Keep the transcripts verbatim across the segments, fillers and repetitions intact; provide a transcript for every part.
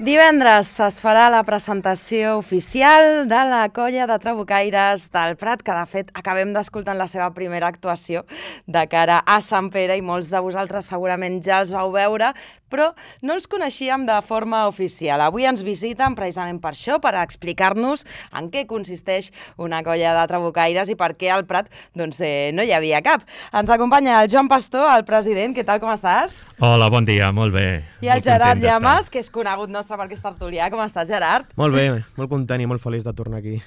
Divendres es farà la presentació oficial de la colla de trabucaires del Prat, que de fet acabem d'escoltar la seva primera actuació de cara a Sant Pere i molts de vosaltres segurament ja els vau veure, però no els coneixíem de forma oficial. Avui ens visiten precisament per això, per explicar-nos en què consisteix una colla de trabucaires i per què al Prat doncs, eh, no hi havia cap. Ens acompanya el Joan Pastor, el president. Què tal, com estàs? Hola, bon dia, molt bé. I el Gerard Llamas, que és conegut nostre perquè és tertulià. Com estàs, Gerard? Molt bé, molt content i molt feliç de tornar aquí.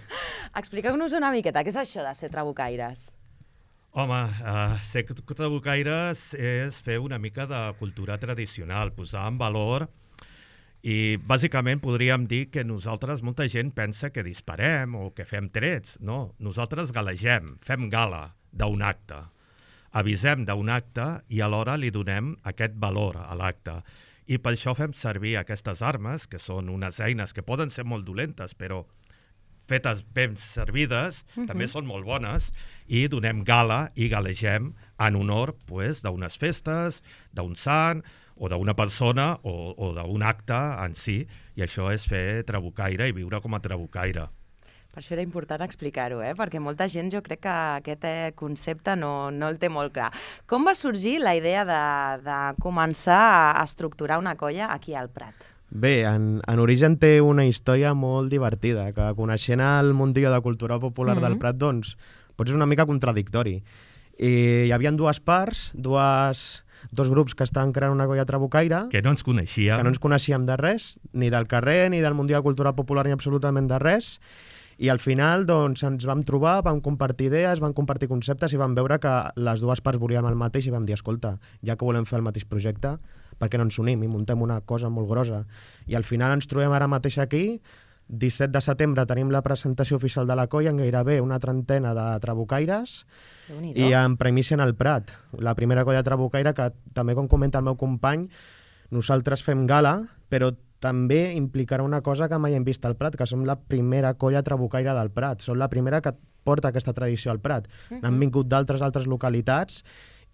Expliqueu-nos una miqueta, què és això de ser trabucaires? Home, uh, ser trabucaires és fer una mica de cultura tradicional, posar en valor, i bàsicament podríem dir que nosaltres, molta gent pensa que disparem o que fem trets. No, nosaltres galegem, fem gala d'un acte, avisem d'un acte i alhora li donem aquest valor a l'acte. I per això fem servir aquestes armes, que són unes eines que poden ser molt dolentes, però fetes ben servides, uh-huh. també són molt bones, i donem gala i galegem en honor pues, d'unes festes, d'un sant, o d'una persona, o, o d'un acte en si, i això és fer trabucaire i viure com a trabucaire. Per això era important explicar-ho, eh? Perquè molta gent jo crec que aquest concepte no, no el té molt clar. Com va sorgir la idea de, de començar a estructurar una colla aquí al Prat? Bé, en, en origen té una història molt divertida, que coneixent el mundillo de cultura popular mm-hmm. del Prat, doncs, potser és una mica contradictori. I hi havia dues parts, dues, dos grups que estaven creant una colla trabucaire, que no ens coneixíem. Que no ens coneixíem de res, ni del carrer, ni del mundillo de cultura popular, ni absolutament de res. I al final doncs, ens vam trobar, vam compartir idees, vam compartir conceptes i vam veure que les dues parts volíem el mateix i vam dir, escolta, ja que volem fer el mateix projecte, per què no ens unim i muntem una cosa molt grossa? I al final ens trobem ara mateix aquí, disset de setembre tenim la presentació oficial de la colla amb gairebé una trentena de trabucaires i en primícia en el Prat. La primera colla trabucaire que també, com comenta el meu company, nosaltres fem gala, però també implicarà una cosa que mai hem vist al Prat, que som la primera colla trabucaire del Prat. Som la primera que porta aquesta tradició al Prat. Uh-huh. Han vingut d'altres altres localitats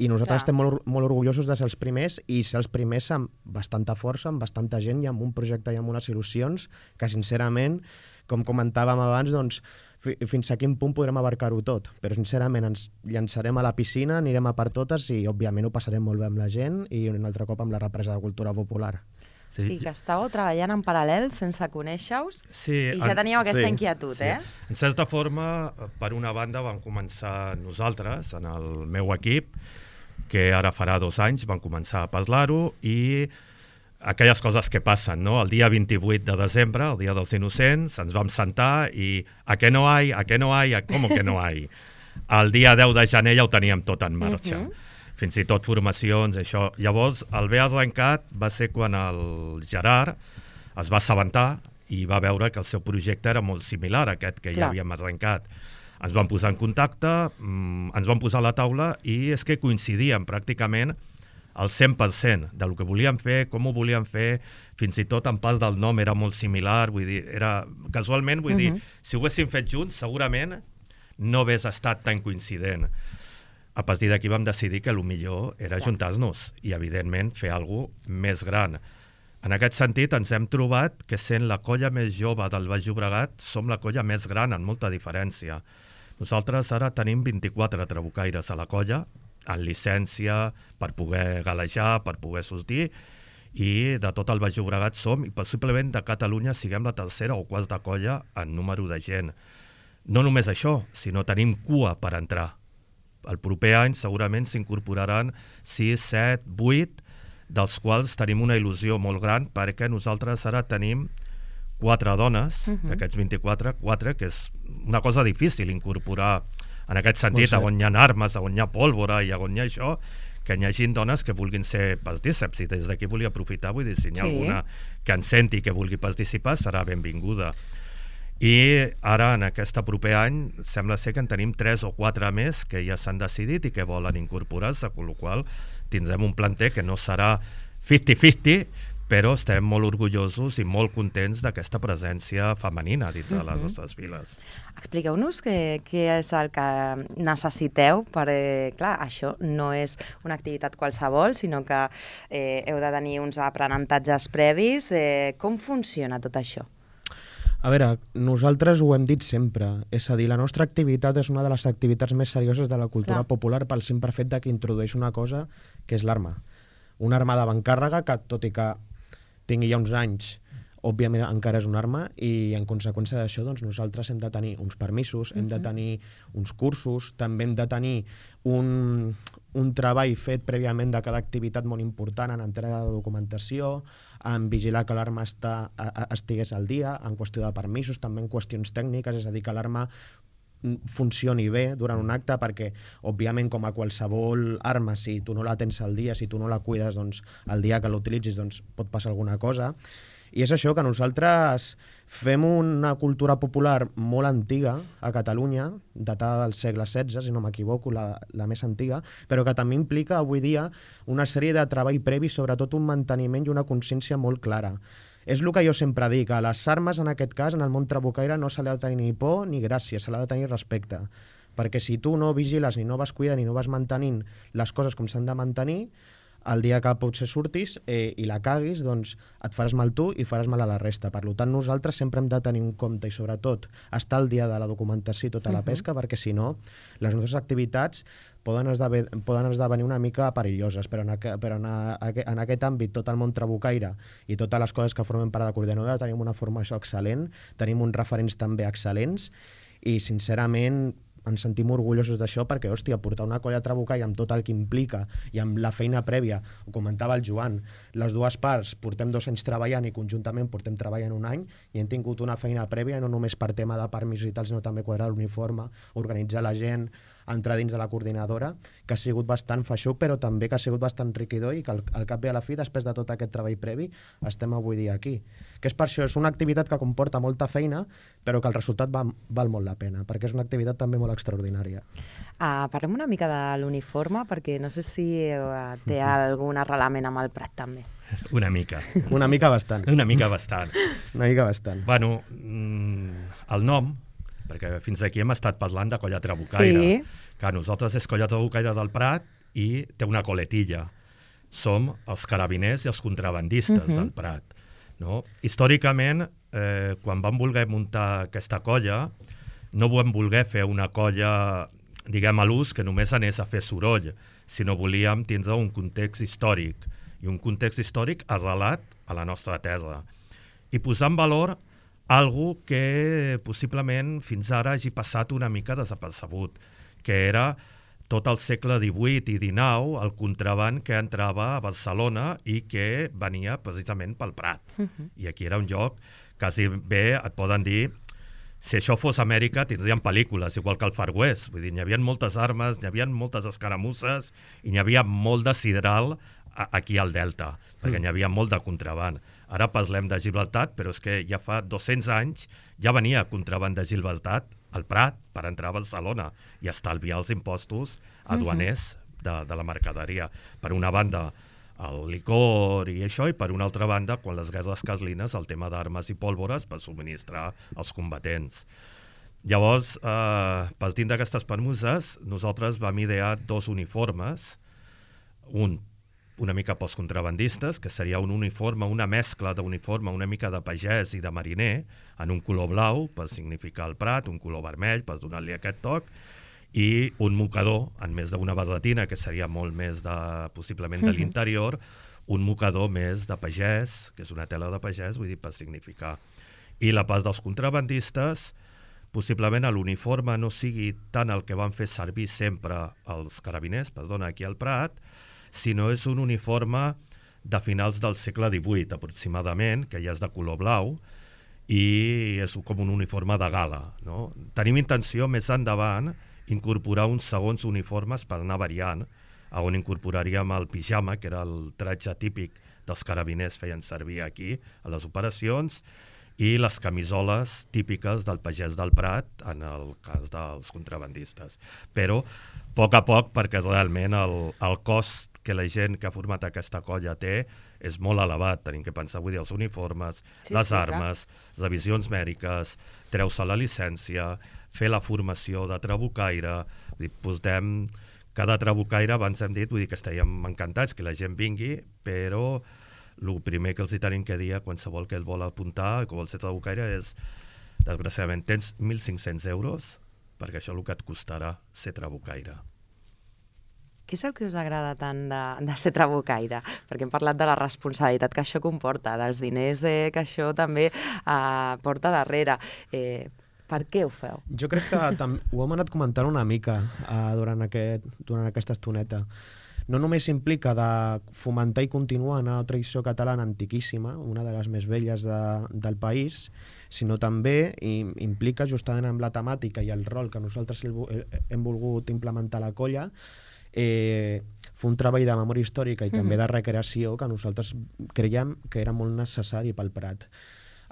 i nosaltres Clar. estem molt, molt orgullosos de ser els primers i ser els primers amb bastanta força, amb bastanta gent i amb un projecte i amb unes il·lusions que, sincerament, com comentàvem abans, doncs, fins a quin punt podrem abarcar-ho tot. Però, sincerament, ens llançarem a la piscina, anirem a per totes i, òbviament, ho passarem molt bé amb la gent i un altre cop amb la represa de cultura popular. Sí, o sigui que estàveu treballant en paral·lel sense conèixer-vos sí, i ja teníeu aquesta sí, inquietud, sí. eh? En certa forma, per una banda, vam començar nosaltres, en el meu equip, que ara farà dos anys, vam començar a parlar-ho i aquelles coses que passen, no? El dia vint-i-vuit de desembre, el dia dels innocents, ens vam sentar i a què no hi, a què no hi, com que no hi? El dia deu de gener ja ho teníem tot en marxa. Uh-huh. Fins i tot formacions, això. Llavors, el bé arrencat va ser quan el Gerard es va assabentar i va veure que el seu projecte era molt similar a aquest que Clar. ja havíem arrencat. Ens vam posar en contacte, ens vam posar a la taula i és que coincidíem pràcticament al cent per cent del que volíem fer, com ho volíem fer, fins i tot en pas del nom era molt similar, vull dir, era casualment, vull uh-huh. dir, si ho haguéssim fet junts, segurament no hagués estat tan coincident. A partir d'aquí vam decidir que el millor era juntar-nos i, evidentment, fer alguna cosa més gran. En aquest sentit, ens hem trobat que sent la colla més jove del Baix Llobregat, som la colla més gran, en molta diferència. Nosaltres ara tenim vint-i-quatre trabucaires a la colla, en llicència, per poder galejar, per poder sortir, i de tot el Baix Llobregat som, i possiblement de Catalunya siguem la tercera o quarta colla en número de gent. No només això, sinó tenim cua per entrar. El proper any segurament s'incorporaran sis, set, vuit, dels quals tenim una il·lusió molt gran perquè nosaltres ara tenim quatre dones, uh-huh. d'aquests vint-i-quatre, quatre, que és una cosa difícil incorporar en aquest sentit, on hi ha armes, on hi ha pólvora i on hi ha això, que hi hagi dones que vulguin ser partíceps. I des d'aquí volia aprofitar, vull dir, si hi ha sí. alguna que en senti que vulgui participar, serà benvinguda. I ara, en aquest proper any, sembla ser que en tenim tres o quatre més que ja s'han decidit i que volen incorporar-se, amb la qual cosa tindrem un planter que no serà cinquanta cinquanta, però estem molt orgullosos i molt contents d'aquesta presència femenina dins de les nostres files. Expliqueu-nos què, què és el que necessiteu, perquè, clar, això no és una activitat qualsevol, sinó que eh, heu de tenir uns aprenentatges previs. Eh, com funciona tot això? A veure, nosaltres ho hem dit sempre, és a dir, la nostra activitat és una de les activitats més serioses de la cultura Clar. popular pel simple fet de que introdueix una cosa que és l'arma. Una arma d'avantcàrrega que, tot i que tingui ja uns anys, òbviament encara és una arma i en conseqüència d'això doncs, nosaltres hem de tenir uns permisos, hem de tenir uns cursos, també hem de tenir un, un treball fet prèviament de cada activitat molt important en entrega de documentació, en vigilar que l'arma està, a, a, estigués al dia, en qüestió de permisos, també en qüestions tècniques, és a dir, que l'arma funcioni bé durant un acte, perquè òbviament com a qualsevol arma, si tu no la tens al dia, si tu no la cuides, doncs el dia que l'utilitzis doncs, pot passar alguna cosa. I és això, que nosaltres fem una cultura popular molt antiga a Catalunya, datada del segle setze, si no m'equivoco, la, la més antiga, però que també implica avui dia una sèrie de treball previ, sobretot un manteniment i una consciència molt clara. És el que jo sempre dic, a les armes, en aquest cas, en el món trabucaire, no se li ha de tenir ni por ni gràcia, se li ha de tenir respecte. Perquè si tu no vigiles, ni no vas cuidant, ni no vas mantenint les coses com s'han de mantenir, el dia que potser surtis eh, i la caguis, doncs et faràs mal tu i faràs mal a la resta. Per tant, nosaltres sempre hem de tenir un compte i, sobretot, estar al dia de la documentació i tota la pesca, perquè, si no, les nostres activitats poden esdevenir, poden esdevenir una mica perilloses, però, en, aqu però en, a, en aquest àmbit, tot el món trabucaire i totes les coses que formen part de Coordinadora, tenim una formació excel·lent, tenim uns referents també excel·lents i, sincerament, ens sentim orgullosos d'això perquè, hòstia, portar una colla trabucaire amb tot el que implica i amb la feina prèvia, ho comentava el Joan, les dues parts portem dos anys treballant i conjuntament portem treballant un any i hem tingut una feina prèvia, no només per tema de permisos i tal, sinó també quadrar l'uniforme, organitzar la gent, entrar dins de la coordinadora, que ha sigut bastant feixuc, però també que ha sigut bastant enriquidor i que al, al cap i a la fi, després de tot aquest treball previ, estem avui dia aquí. Que és per això, és una activitat que comporta molta feina, però que el resultat va, val molt la pena, perquè és una activitat també molt extraordinària. Uh, parlem una mica de l'uniforme, perquè no sé si uh, té algun arrelament amb el Prat, també. Una mica. Una mica bastant. Una mica bastant. Una mica bastant. Bueno, mm, el nom, perquè fins aquí hem estat parlant de colla trabucaire. Sí. Que nosaltres és colla trabucaire del Prat i té una coletilla. Som els carabiners i els contrabandistes uh-huh. del Prat. No? Històricament, eh, quan vam voler muntar aquesta colla, no vam voler fer una colla, diguem, a l'ús que només anés a fer soroll, sinó volíem tindre un context històric, i un context històric arrelat a la nostra terra. I posar en valor algo que possiblement fins ara hagi passat una mica desapercebut, que era tot el segle divuit i dinou el contraband que entrava a Barcelona i que venia precisament pel Prat. Uh-huh. I aquí era un lloc, quasi bé et poden dir, si això fos Amèrica tindríem pel·lícules, igual que el Far West. Vull dir, n'hi havia moltes armes, n'hi havia moltes escaramusses i n'hi havia molt de sidral aquí al Delta, perquè n'hi havia molt de contraband. Ara parlem de Gibraltar, però és que ja fa dos-cents anys ja venia contraband de Gibraltar al Prat per entrar a Barcelona i estalviar els impostos aduaners de, de la mercaderia. Per una banda, el licor i això, i per una altra banda, quan les guerres carlines, el tema d'armes i pólvores per subministrar als combatents. Llavors, eh, partint d'aquestes permuses, nosaltres vam idear dos uniformes, un una mica pels contrabandistes, que seria un uniforme, una mescla d'uniforme una mica de pagès i de mariner, en un color blau per significar el Prat, un color vermell per donar-li aquest toc, i un mocador, en més d'una barretina, que seria molt més de, possiblement de l'interior, un mocador més de pagès, que és una tela de pagès, vull dir, per significar. I la part dels contrabandistes, possiblement l'uniforme no sigui tant el que van fer servir sempre els carabiners, perdona, aquí al Prat, sinó és un uniforme de finals del segle divuit, aproximadament, que ja és de color blau, i és com un uniforme de gala. No? Tenim intenció, més endavant, incorporar uns segons uniformes per anar variant, on incorporaríem el pijama, que era el tratge típic dels carabiners feien servir aquí, a les operacions, i les camisoles típiques del pagès del Prat, en el cas dels contrabandistes. Però, a poc a poc, perquè realment el, el cost que la gent que ha format aquesta colla té és molt elevat. Tenim que pensar, vull dir, els uniformes, Sí, les sí, armes, les revisions mèdiques, treu-se la llicència, fer la formació de trabucaire, vull dir, portem cada trabucaire, abans hem dit, vull dir que estàvem encantats que la gent vingui, però el primer que els hi tenim que dir a qualsevol que el vol apuntar, que vol ser trabucaire, és, desgraciadament, tens mil cinc-cents euros perquè això és el que et costarà ser trabucaire. Què és el que us agrada tant de, de ser trabucaire? Perquè hem parlat de la responsabilitat que això comporta, dels diners eh, que això també eh, porta darrere. Eh, per què ho feu? Jo crec que tam- ho hem anat comentant una mica uh, durant, aquest, durant aquesta estoneta. No només implica de fomentar i continuar una tradició catalana antiquíssima, una de les més velles de, del país, sinó també i, implica justament amb la temàtica i el rol que nosaltres hem volgut implementar a la colla, eh, fer un treball de memòria històrica i mm-hmm. també de recreació que nosaltres creiem que era molt necessari pel Prat.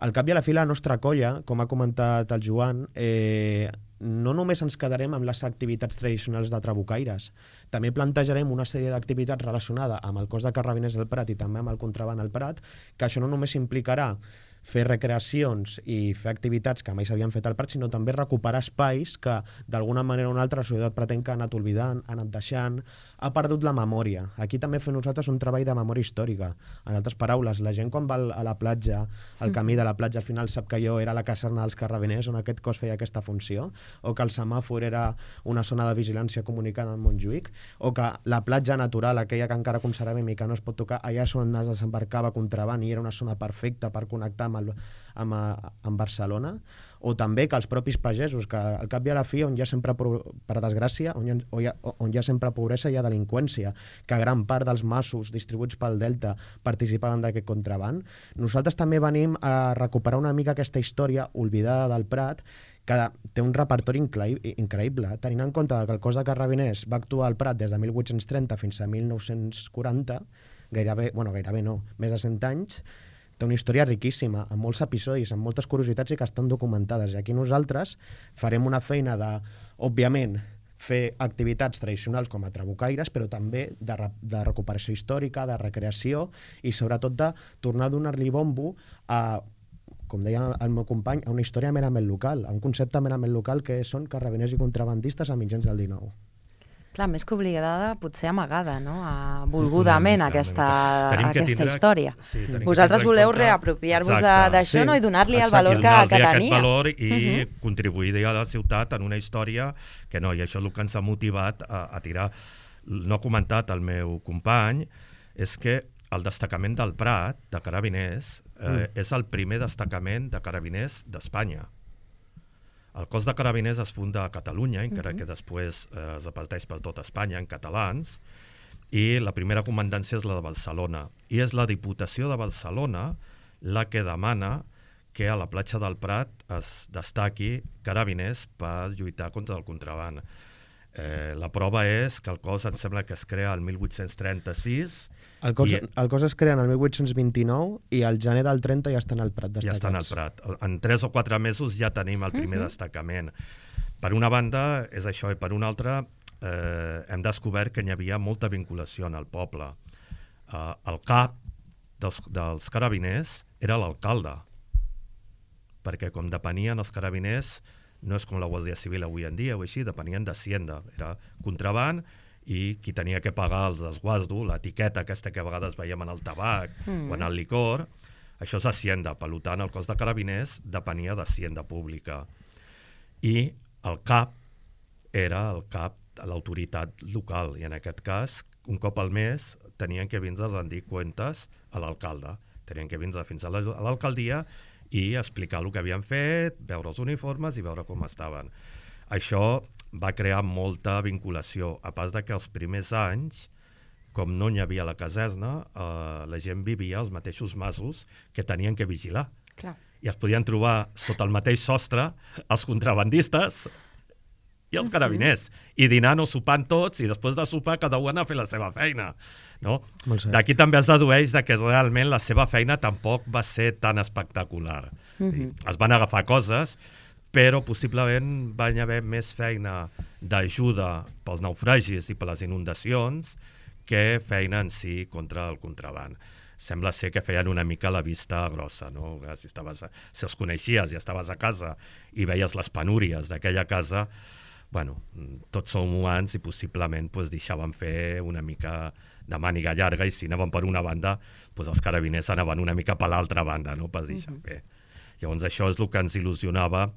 Al cap i a la fi, la nostra colla, com ha comentat el Joan, eh, no només ens quedarem amb les activitats tradicionals de trabucaires, també plantejarem una sèrie d'activitats relacionades amb el cos de carrabiners del Prat i també amb el contraban al Prat, que això no només implicarà fer recreacions i fer activitats que mai s'havien fet al Prat, sinó també recuperar espais que, d'alguna manera o una altra, la societat pratenca ha anat oblidant, ha anat deixant, ha perdut la memòria. Aquí també fem nosaltres un treball de memòria històrica. En altres paraules, la gent quan va a la platja, al camí de la platja, al final sap que allò era la caserna dels carrabiners, on aquest cos feia aquesta funció, o que el semàfor era una zona de vigilància comunicada amb Montjuïc, o que la platja natural, aquella que encara conservem i que no es pot tocar, allà és on es desembarcava contraban i era una zona perfecta per connectar amb, el, amb, amb Barcelona, o també que els propis pagesos, que al cap i a la fi, on hi ha sempre, per desgràcia, on hi ha, on hi ha, on hi ha sempre pobresa, hi ha delinqüència, que gran part dels masos distribuïts pel Delta participaven d'aquest contraban. Nosaltres també venim a recuperar una mica aquesta història oblidada del Prat, que té un repertori increïble, tenint en compte que el cos de carrabiners va actuar al Prat des de mil vuit-cents trenta fins a mil nou-cents quaranta, gairebé, bueno, gairebé no, més de cent anys, té una història riquíssima, amb molts episodis, amb moltes curiositats i que estan documentades. I aquí nosaltres farem una feina de, òbviament, fer activitats tradicionals com a trabucaires, però també de, de recuperació històrica, de recreació i sobretot de tornar a donar-li bombo a, com deia el meu company, a una història merament local, a un concepte merament local que són carrabiners i contrabandistes a mitjans del dinou. Clar, més que obligada, potser amagada, no? A, volgudament, mm, aquesta, aquesta tindre, història. Sí, vosaltres voleu compte... reapropiar-vos d'això, sí, no? I donar-li el valor que, que tenia. Aquest valor i uh-huh. contribuir a la ciutat en una història que no, i això és el que ens ha motivat a, a tirar. No ha comentat el meu company, és que el destacament del Prat, de carabiners, eh, mm. és el primer destacament de carabiners d'Espanya. El cos de carabiners es funda a Catalunya, encara uh-huh. que després eh, es reparteix per tot Espanya en catalans, i la primera comandància és la de Barcelona. I és la Diputació de Barcelona la que demana que a la platja del Prat es destaqui carabiners per lluitar contra el contraban. Eh, la prova és que el cos em sembla que es crea el mil vuit-cents trenta-sis. El cos, i, el cos es crea en el mil vuit-cents vint-i-nou i al gener del trenta ja estan al Prat destacats. Ja estan al Prat. En tres o quatre mesos ja tenim el primer uh-huh. destacament. Per una banda és això, i per una altra eh, hem descobert que hi havia molta vinculació en el poble. Eh, el cap dels, dels carabiners era l'alcalde, perquè com depenien els carabiners, no és com la Guàrdia Civil avui en dia o així, depenien d'Hacienda, era contraban i qui tenia que pagar els desguasdo, l'etiqueta aquesta que a vegades veiem en el tabac mm. o en el licor, això és Hacienda, per tant el cos de carabiners depenia d'Hacienda pública. I el cap era el cap de l'autoritat local i en aquest cas, un cop al mes, tenien que vindre a rendir comptes a l'alcalde, tenien que vindre fins a l'alcaldia i explicar el que havien fet, veure els uniformes i veure com estaven. Això va crear molta vinculació, a pas de que els primers anys, com no hi havia la caserna, eh, la gent vivia als mateixos masos que tenien que vigilar. Clar. I es podien trobar sota el mateix sostre els contrabandistes i els carabiners, i dinant o sopant tots, i després de sopar cada un a fer la seva feina. No? D'aquí també es dedueix que realment la seva feina tampoc va ser tan espectacular. Uh-huh. Es van agafar coses, però possiblement van haver més feina d'ajuda pels naufragis i per les inundacions que feina en si contra el contraban. sembla ser que feien una mica la vista grossa, no? Si, estaves a, si els coneixies i estaves a casa i veies les penúries d'aquella casa, bueno, tots som humans i possiblement pues, deixaven fer una mica de màniga llarga i si anaven per una banda, pues, els carabiners anaven una mica per l'altra banda, no? Per deixar uh-huh. fer. Llavors això és el que ens il·lusionava,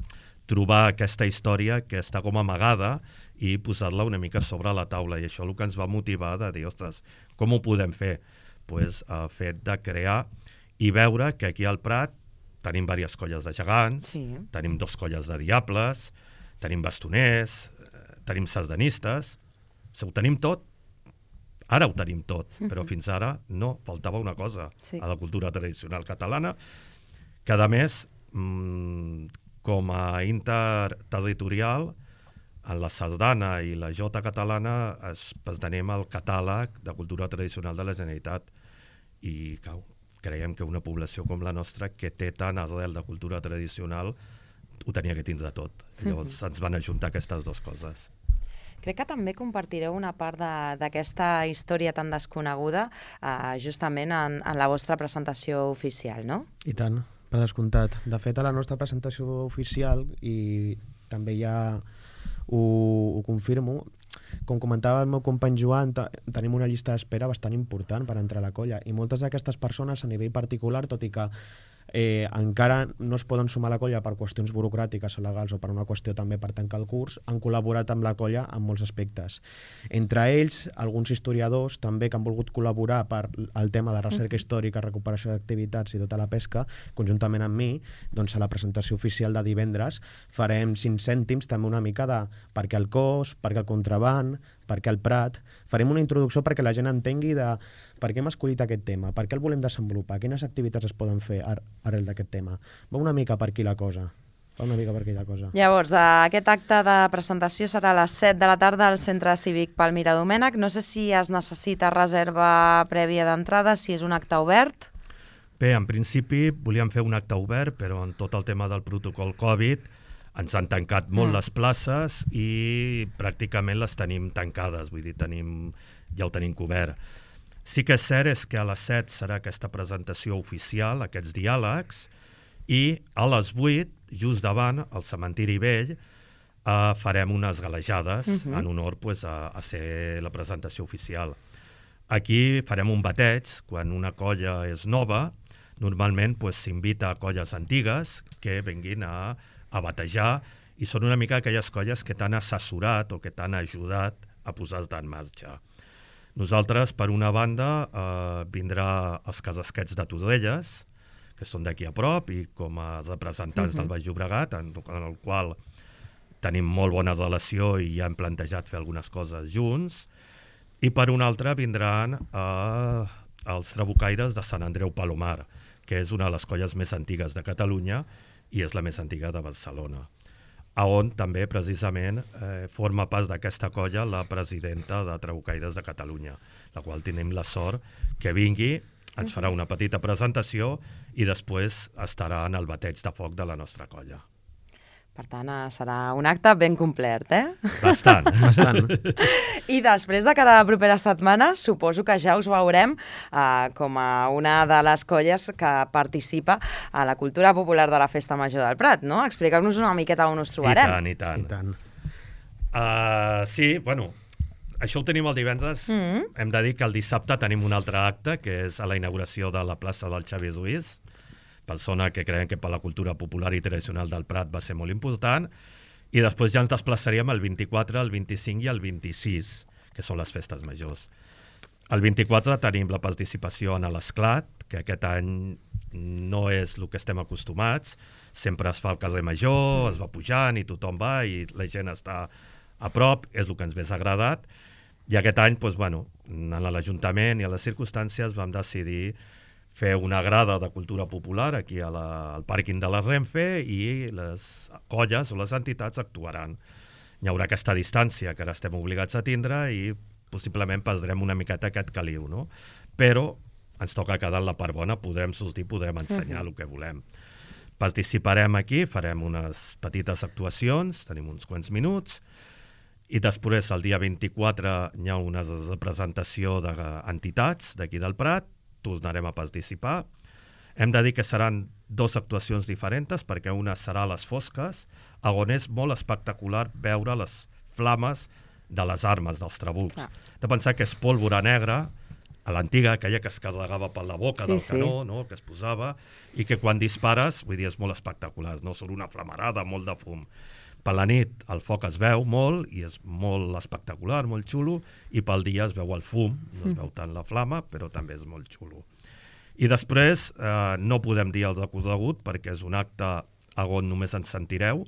trobar aquesta història que està com amagada i posar-la una mica sobre la taula, i això és el que ens va motivar de dir, ostres, com ho podem fer? Pues, el fet de crear i veure que aquí al Prat tenim diverses colles de gegants, sí. tenim dos colles de diables, tenim bastoners, tenim sardanistes, ho tenim tot, ara ho tenim tot, però fins ara no, faltava una cosa sí. a la cultura tradicional catalana, que a més, mmm, com a interterritorial, en la sardana i la jota catalana es tenim el catàleg de cultura tradicional de la Generalitat i cau, creiem que una població com la nostra que té tant arrel de cultura tradicional ho tenia que tindre tot. Llavors mm-hmm. ens van ajuntar aquestes dues coses. Crec que també compartireu una part d'aquesta història tan desconeguda eh, justament en, en la vostra presentació oficial, no? I tant, per descomptat. De fet, a la nostra presentació oficial, i també ja ho, ho confirmo, com comentava el meu company Joan, tenim una llista d'espera bastant important per entrar a la colla, i moltes d'aquestes persones a nivell particular, tot i que eh, encara no es poden sumar a la colla per qüestions burocràtiques o legals o per una qüestió també per tancar el curs, han col·laborat amb la colla en molts aspectes. Entre ells, alguns historiadors també que han volgut col·laborar per el tema de recerca històrica, recuperació d'activitats i tota la pesca, conjuntament amb mi, doncs a la presentació oficial de divendres farem cinc cèntims també una mica de per què el cos, per què el contraban, per què el Prat. Farem una introducció perquè la gent entengui de per què hem escollit aquest tema, per què el volem desenvolupar, quines activitats es poden fer ar arrel d'aquest tema. Va una mica per aquí la cosa. Va una mica per aquí la cosa. Llavors, aquest acte de presentació serà a les set de la tarda al Centre Cívic Palmira Domènech. No sé si es necessita reserva prèvia d'entrada, si és un acte obert. Bé, en principi volíem fer un acte obert, però en tot el tema del protocol Covid ens han tancat molt mm. les places i pràcticament les tenim tancades, vull dir, tenim, ja ho tenim cobert. Sí que és cert és que a les set serà aquesta presentació oficial, aquests diàlegs, i a les vuit, just davant, al cementiri vell, eh, farem unes galejades mm-hmm. en honor pues, a, a ser la presentació oficial. Aquí farem un bateig, quan una colla és nova, normalment s'invita pues, a colles antigues que vinguin a a batejar, i són una mica aquelles colles que t'han assessorat o que t'han ajudat a posar-te en marxa. Nosaltres, per una banda, eh, vindrà els Casasquets de Torrelles, que són d'aquí a prop, i com a representants uh-huh. del Baix Llobregat, en, en el qual tenim molt bona relació i ja hem plantejat fer algunes coses junts, i per una altra vindran eh, els Trabucaires de Sant Andreu Palomar, que és una de les colles més antigues de Catalunya, i és la més antiga de Barcelona, on també precisament eh, forma part d'aquesta colla la presidenta de Trabucaires de Catalunya, la qual tenim la sort que vingui, ens farà una petita presentació i després estarà en el bateig de foc de la nostra colla. Per tant, serà un acte ben complert, eh? Bastant, bastant. I després, de cara a la propera setmana, suposo que ja us veurem eh, com a una de les colles que participa a la cultura popular de la Festa Major del Prat, no? Expliqueu-nos una miqueta on us trobarem. I tant, i tant. I tant. Uh, sí, bueno, això ho tenim el divendres. Mm-hmm. Hem de dir que el dissabte tenim un altre acte, que és a la inauguració de la plaça del Xavier Ruiz, persona que creiem que per la cultura popular i tradicional del Prat va ser molt important, i després ja ens desplaçaríem el vint-i-quatre, el vint-i-cinc i el vint-i-sis, que són les festes majors. El vint-i-quatre tenim la participació en l'esclat, que aquest any no és el que estem acostumats, sempre es fa el carrer major, es va pujant i tothom va i la gent està a prop, és el que ens més ha agradat, i aquest any, doncs, bueno, en l'Ajuntament i a les circumstàncies vam decidir fer una grada de cultura popular aquí a la, al pàrquing de la Renfe i les colles o les entitats actuaran. Hi haurà aquesta distància que ara estem obligats a tindre i possiblement perdrem una miqueta aquest caliu, no? Però ens toca quedar en la part bona, podrem sortir, podrem ensenyar uh-huh. el que volem. Participarem aquí, farem unes petites actuacions, tenim uns quants minuts, i després el dia vint-i-quatre hi ha una representació d'entitats d'aquí del Prat, tornarem a participar. Hem de dir que seran dues actuacions diferents, perquè una serà a les fosques, on és molt espectacular veure les flames de les armes, dels trabucs. Clar. De pensar que és pólvora negra, a l'antiga, aquella que es carregava per la boca Sí, del sí. canó, no? Que es posava, i que quan dispares, vull dir, és molt espectacular, no? Surt una flamarada, molt de fum. Per la nit el foc es veu molt i és molt espectacular, molt xulo, i pel dia es veu el fum, no es veu tant la flama, però també és molt xulo. I després eh, no podem dir els acorregut perquè és un acte on només ens sentireu,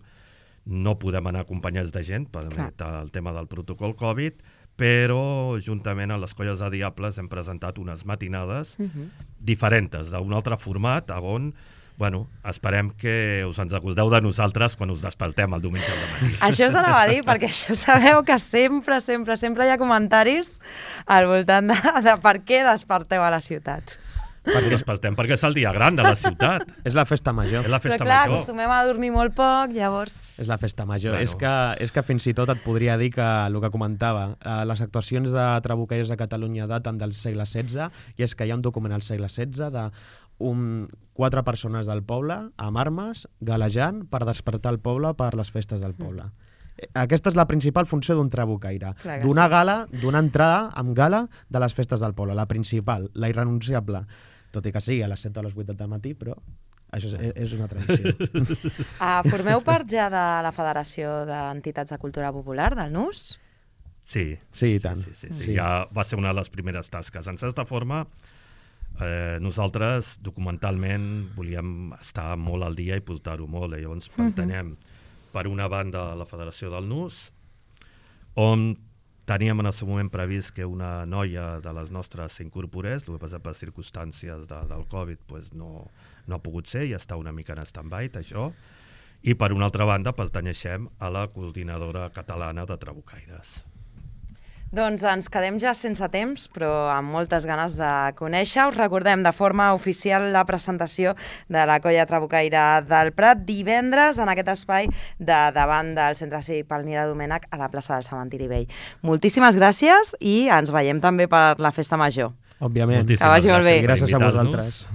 no podem anar acompanyats de gent per el tema del protocol Covid, però juntament amb les Colles de Diables hem presentat unes matinades uh -huh. diferents, d'un altre format, on bueno, esperem que us ens acordeu de nosaltres quan us despertem el diumenge al matí. Això us anava a dir, perquè això sabeu que sempre, sempre, sempre hi ha comentaris al voltant de, de per què desperteu a la ciutat. Perquè despertem perquè és el dia gran de la ciutat. És la festa major. És la festa Però clar, major. acostumem a dormir molt poc, llavors... És la festa major. Bueno. És, que, és que fins i tot et podria dir que el que comentava, eh, les actuacions de trabucaires de Catalunya daten del segle setze, i és que hi ha un document al segle setze de un, quatre persones del poble amb armes galejant per despertar el poble per les festes del poble. Mm. Aquesta és la principal funció d'un trabucaire. Donar sí. gala, donar entrada amb gala de les festes del poble. La principal, la irrenunciable. Tot i que sigui a les set o a les vuit del matí, però això és, és una tradició. uh, formeu part ja de la Federació d'Entitats de Cultura Popular, del N U S? Sí, sí, i tant. Sí, sí, sí, sí. Ja va ser una de les primeres tasques. En certa forma, eh, nosaltres documentalment volíem estar molt al dia i portar-ho molt. I llavors pertanyem, uh-huh. per una banda, a la Federació del N U S, on teníem en el seu moment previst que una noia de les nostres s'incorporés, el que passa per circumstàncies de, del Covid pues no, no ha pogut ser i està una mica en stand-by, això. I per una altra banda pertanyeixem a la Coordinadora Catalana de Trabucaires. Doncs ens quedem ja sense temps, però amb moltes ganes de conèixer. Us recordem de forma oficial la presentació de la Colla Trabucaire del Prat divendres en aquest espai de davant del Centre Cívic Palmira Domènech a la plaça del Cementiri Vell. Moltíssimes gràcies i ens veiem també per la Festa Major. Òbviament. Moltíssimes que vagi molt bé. Gràcies a vosaltres.